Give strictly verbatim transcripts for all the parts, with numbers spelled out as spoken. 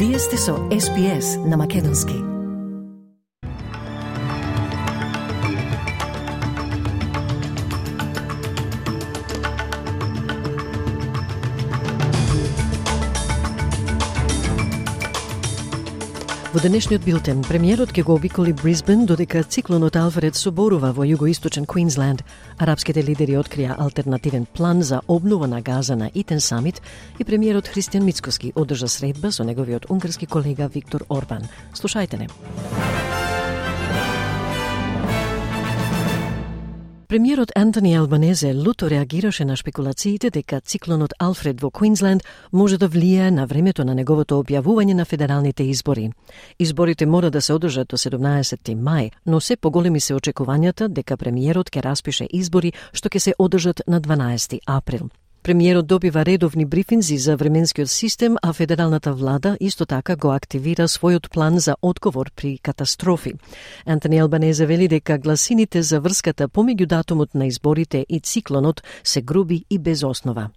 Вие сте со Ес Би Ес на Македонски. Во денешниот билтен, премиерот ќе го обиколи Брисбен, додека циклонот Алфред соборува во југоисточен Квинсленд. Арапските лидери открија алтернативен план за обнова на газа на Итен самит и премиерот Христијан Мицкоски одржа средба со неговиот унгарски колега Виктор Орбан. Слушајте не. Премиерот Антони Албанезе люто реагираше на шпекулациите дека циклонот Алфред во Квинсленд може да влијае на времето на неговото објавување на федералните избори. Изборите мора да се одржат до седумнаесетти мај, но се поголеми се очекувањата дека премиерот ќе распише избори што ќе се одржат на дванаесети април. Премиерот добива редовни брифинзи за временскиот систем, а федералната влада исто така го активира својот план за одговор при катастрофи. Антони Албанезе вели дека гласините за врската помеѓу датумот на изборите и циклонот се груби и без основа.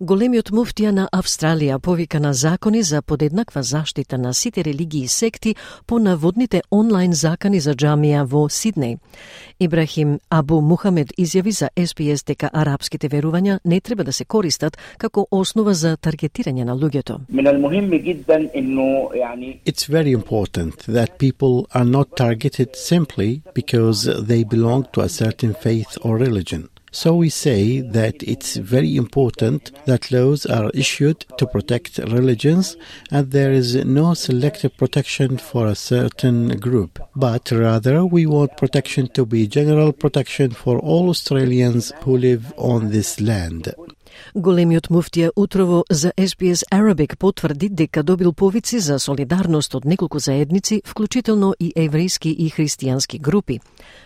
Големиот муфтија на Австралија повика на закони за подеднаква заштита на сите религии и секти по наводните онлайн закани за џамија во Сиднеј. Ибрахим Абу Мухамед изјави за Ес Би Ес дека арапските верувања не треба да се користат како основа за таргетирање на луѓето. It's very important that people are not targeted simply because they belong to a certain faith or religion. So we say that it's very important that laws are issued to protect religions and there is no selective protection for a certain group, but rather we want protection to be general protection for all Australians who live on this land. Големиот муфтија утрово за Ес Би Ес Arabic потврди дека добил повици за солидарност од неколку заедници, вклучително и еврејски и христијански групи.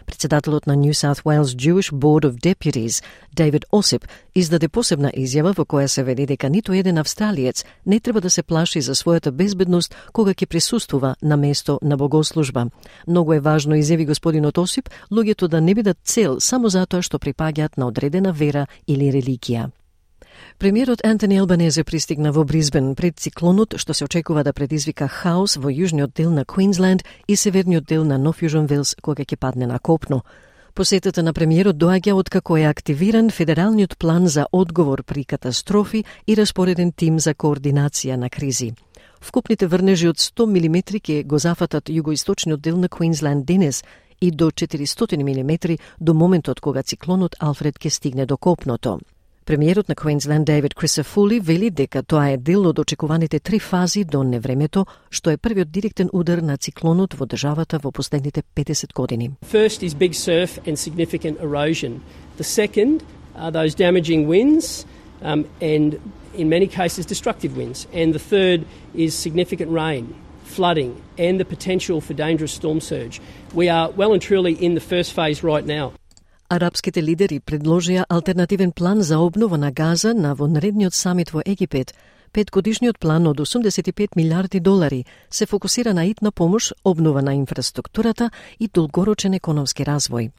Председателот на New South Wales Jewish Board of Deputies, David Ossip, издаде посебна изјава во која се вели дека ниту еден австралиец не треба да се плаши за својата безбедност кога ќе присуствува на место на богослужба. Многу е важно, изјави господинот Осип, луѓето да не бидат цел само затоа што припаѓаат на одредена вера или религија. Премиерот Антони Албанезе пристигна во Брисбен пред циклонот што се очекува да предизвика хаос во јужниот дел на Квинсленд и северниот дел на Нов Јужен Велс кога ќе падне на копно. Посетата на премиерот доаѓа откако е активиран федералниот план за одговор при катастрофи и распореден тим за координација на кризи. Вкупните врнежи од сто милиметри ќе го зафатат југоисточниот дел на Квинсленд денес и до четиристотини милиметри до моментот кога циклонот Алфред ќе стигне до копното. Премиерот на Квинсленд Дейвид Крисофули вели дека тоа е дел од очекуваните три фази до невремето, што е првиот директен удар на циклонот во државата во последните петдесет години. First is big surf and significant erosion. The second are those damaging winds um, and in many cases destructive winds. And the third is significant rain, flooding and the potential for dangerous storm surge. We are well and truly in the first phase right now. Арапските лидери предложија алтернативен план за обнова на Газа на вонредниот самит во Египет. Петгодишниот план од осумдесет и пет милиарди долари се фокусира на итна помош, обнова на инфраструктурата и долгорочен економски развој.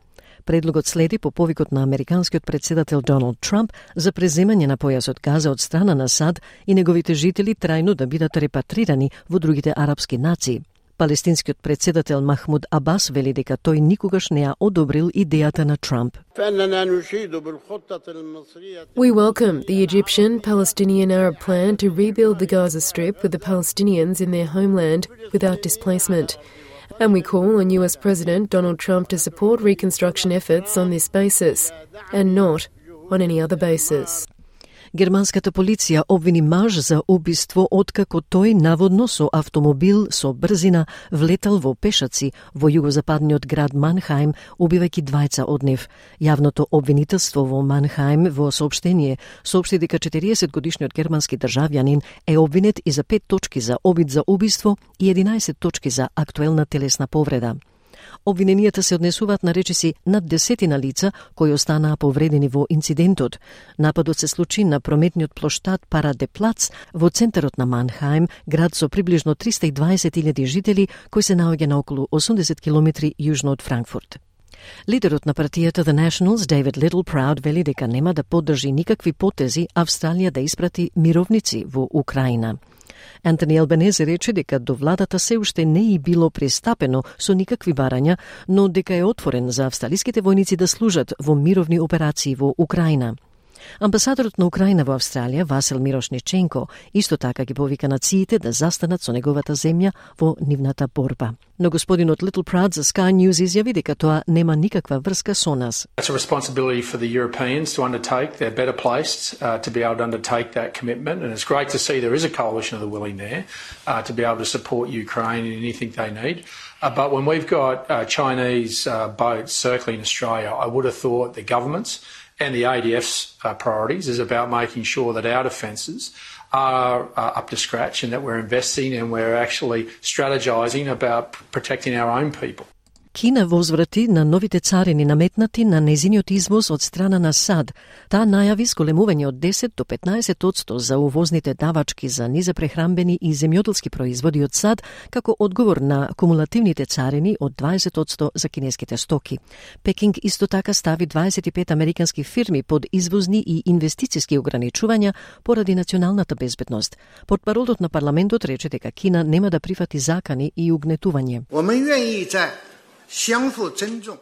Предлогот следи по повикот на американскиот председател Доналд Трамп за преземање на појасот Газа од страна на САД и неговите жители трајно да бидат репатрирани во другите арапски нации. Палестинскиот председател Махмуд Абас вели дека тој никогаш не ја одобрил идејата на Трамп. We welcome the Egyptian-Palestinian Arab plan to rebuild the Gaza Strip with the Palestinians in their homeland without displacement. And we call on U S President Donald Trump to support reconstruction efforts on this basis, and not on any other basis. Германската полиција обвини маж за убиство откако тој наводно со автомобил со брзина влетал во пешаци во југозападниот град Манхајм, убивајќи двајца од нив. Јавното обвинителство во Манхајм во соопштение соопшти дека четириесетгодишниот германски државјанин е обвинет и за пет точки за обид за убиство и единаесет точки за актуелна телесна повреда. Обвиненијата се однесуваат на речиси над десетина лица кои останаа повредени во инцидентот. Нападот се случи на прометниот плоштад Парадеплац во центарот на Манхајм, град со приближно триста и дваесет илјади жители, кој се наоѓа на околу осумдесет километри јужно од Франкфурт. Лидерот на партијата The Nationals, David Littleproud, вели дека нема да поддржи никакви потези Австралија да испрати мировници во Украина. Антони Албанезе рече дека до владата се уште не е било пристапено со никакви барања, но дека е отворен за австралиските војници да служат во мировни операции во Украина. Амбасадорот на Украина во Австралија, Васил Мирошниченко, исто така ги повика нациите да застанат со неговата земја во нивната борба. Но господинот Little Proud за Sky News изјави дека тоа нема никаква врска со нас. It's a responsibility for the Europeans to undertake. They're better placed uh, to be able to undertake that commitment, and it's great to see there is a coalition of the willing there uh, to be able to support Ukraine in anything they need. Uh, but when we've got uh, Chinese uh, boats circling Australia, I would have thought the governments and the A D F's uh, priorities is about making sure that our defences are uh, up to scratch and that we're investing and we're actually strategising about protecting our own people. Кина возврати на новите царини наметнати на незиниот извоз од страна на САД. Таа најави сколемување од десет до петнаесет одсто за увозните давачки за низапрехрамбени и земјоделски производи од САД како одговор на кумулативните царини од дваесет одсто за кинеските стоки. Пекинг исто така стави дваесет и пет американски фирми под извозни и инвестициски ограничувања поради националната безбедност. Портпаролот на парламентот рече дека Кина нема да прифати закани и угнетување.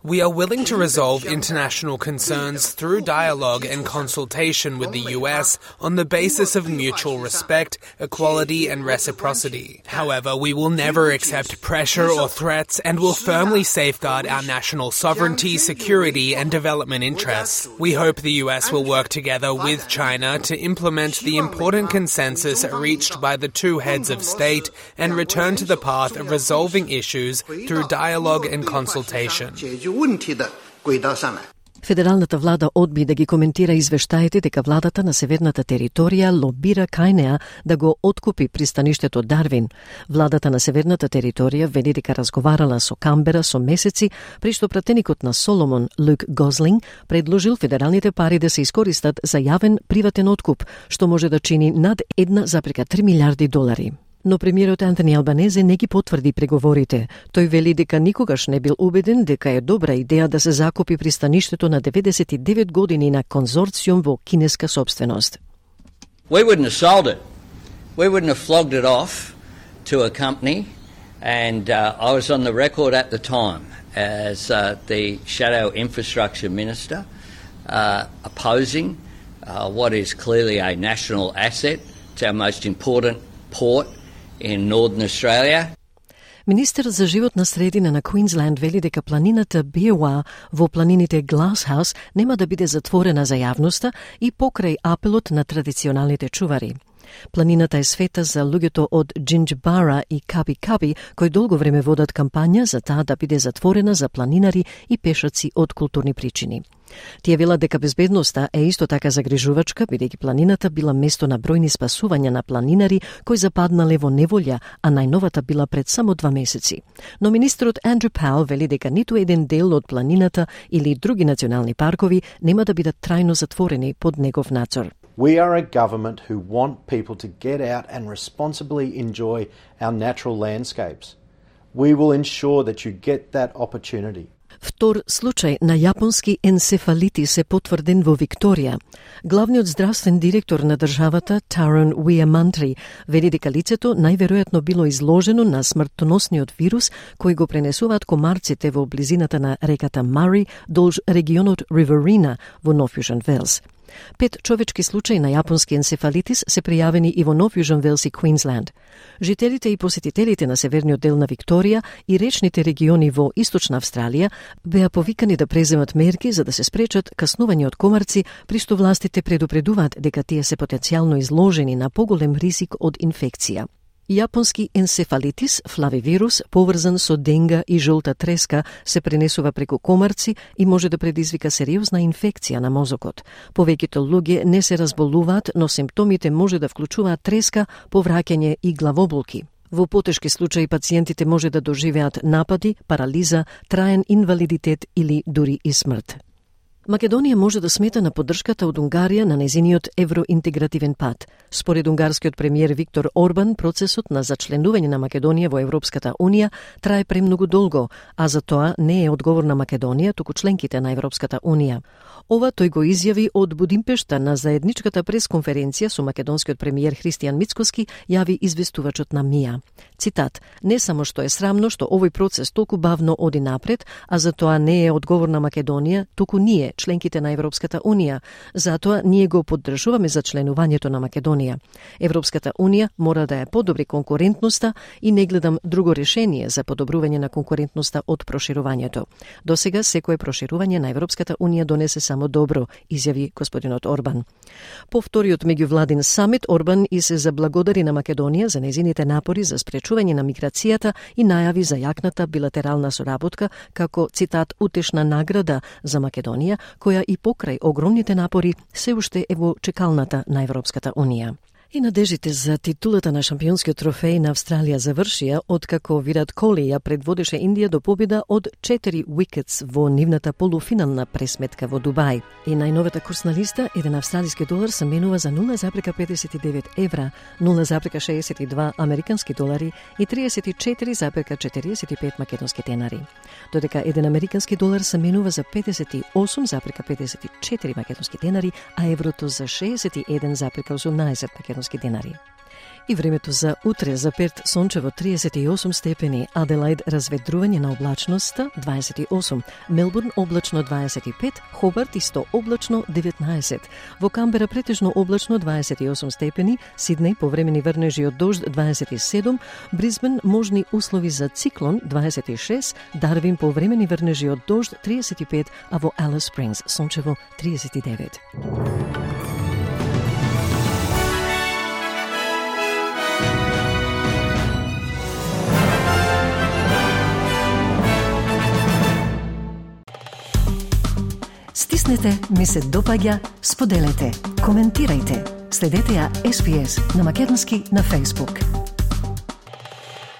We are willing to resolve international concerns through dialogue and consultation with the U S on the basis of mutual respect, equality and reciprocity. However, we will never accept pressure or threats and will firmly safeguard our national sovereignty, security and development interests. We hope the U S will work together with China to implement the important consensus reached by the two heads of state and return to the path of resolving issues through dialogue and consultation. Федералната влада одби да ги коментира извештаите дека владата на северната територија лобира кај неа да го откупи пристаништето Дарвин. Владата на северната територија вели дека разговарала со Камбера со месеци, при што пратеникот на Соломон, Люк Гозлинг, предложил федералните пари да се искористат за јавен приватен откуп, што може да чини над една зарез три милиарди долари. Но премиерот Антони Албанезе не ги потврди преговорите. Тој вели дека никогаш не бил убеден дека е добра идеја да се закупи пристаништето на деветдесет и девет години на конзорциум во кинеска собственост. We wouldn't have sold it. We wouldn't have flogged it off to a company, and uh, I was on the record at the time as uh, the shadow infrastructure minister uh, opposing uh, what is clearly a national asset. It's our most important port in Northern Australia. Министер за животна средина на Квинсленд вели дека планината Биева во планините Гласхаус нема да биде затворена за јавноста и покрај апелот на традиционалните чувари. Планината е света за луѓето од Джинџбара и Каби-Каби, кои долго време водат кампања за таа да биде затворена за планинари и пешаци од културни причини. Тие велат дека безбедноста е исто така загрижувачка, бидејќи планината била место на бројни спасувања на планинари кои западнале во неволја, а најновата била пред само два месеци. Но министерот Андрю Пауел вели дека ниту еден дел од планината или други национални паркови нема да бидат трајно затворени под негов надзор. We are a government who want people to get out and responsibly enjoy our natural landscapes. We will ensure that you get that opportunity. Втор случај на јапонски енцефалитис е потврден во Викторија. Главниот здравствен директор на државата, Тарон Уиамантри, вели дека лицето најверојатно било изложено на смртоносниот вирус кој го пренесуваат комарците во близината на реката Мари долж регионот Риверина во Нов Јужен Велс. Пет човечки случаи на јапонски енцефалитис се пријавени и во Нов Јужен Велс и Квинсленд. Жителите и посетителите на северниот дел на Викторија и речните региони во Источна Австралија беа повикани да преземат мерки за да се спречат каснување од комарци, при што властите предупредуваат дека тие се потенцијално изложени на поголем ризик од инфекција. Јапонски енцефалитис, флавивирус, поврзан со денга и жолта треска, се пренесува преку комарци и може да предизвика сериозна инфекција на мозокот. Повеќето луѓе не се разболуваат, но симптомите може да вклучуваат треска, повраќање и главоболки. Во потешки случаи пациентите може да доживеат напади, парализа, траен инвалидитет или дури и смрт. Македонија може да смета на поддршката од Унгарија на незиниот евроинтегративен пат. Според унгарскиот премиер Виктор Орбан, процесот на зачленување на Македонија во Европската Унија трае премногу долго, а за тоа не е одговор на Македонија, туку членките на Европската Унија. Ова тој го изјави од Будимпешта на заедничката пресконференција со македонскиот премиер Христијан Мицкоски, јави известувачот на МИА. Цитат: "Не само што е срамно што овој процес толку бавно оди напред, а за тоа не е одговор на Македонија, туку ние, членките на Европската Унија. Затоа ние го поддржуваме за членувањето на Македонија. Европската Унија мора да ја подобри конкурентноста и не гледам друго решение за подобрување на конкурентноста од проширувањето. Досега секое проширување на Европската Унија донесе само добро", изјави господинот Орбан. По вториот меѓувладин самит, Орбан и се заблагодари на Македонија за незините напори за спречување на миграцијата и најави за јакната билатерална соработка како, цитат, "утешна награда за Македонија, која и покрај огромните напори се уште е во чекалната на Европската Унија." И надежите за титулата на шампионскиот трофеј на Австралија завршија откако Вират Коли ја предводеше Индија до победа од четири уикетс во нивната полуфинална пресметка во Дубај. И најновата курсна листа, еден австралиски долар се менува за нула зарез педесет и девет евра, нула зарез шеесет и два американски долари и триесет и четири зарез четириесет и пет македонски денари. Додека еден американски долар се менува за педесет и осум зарез педесет и четири македонски денари, а еврото за шеесет и еден зарез осумнаесет македонски денари. И времето за утре: за Перт сончево триесет и осум степени, Аделаид разведрување на облачноста дваесет и осум, Мелбурн облачно дваесет и пет, Хобарт исто облачно деветнаесет, во Камбера претежно облачно дваесет и осум степени, Сиднеј повремени врнежи од дожд дваесет и седум, Брисбен можни услови за циклон дваесет и шест, Дарвин повремени врнежи од дожд триесет и пет, а во Алис Спрингс сончево триесет и девет. Стиснете, ми се допаѓа, споделете, коментирајте. Следете ја Ес Би Ес на македонски на Facebook.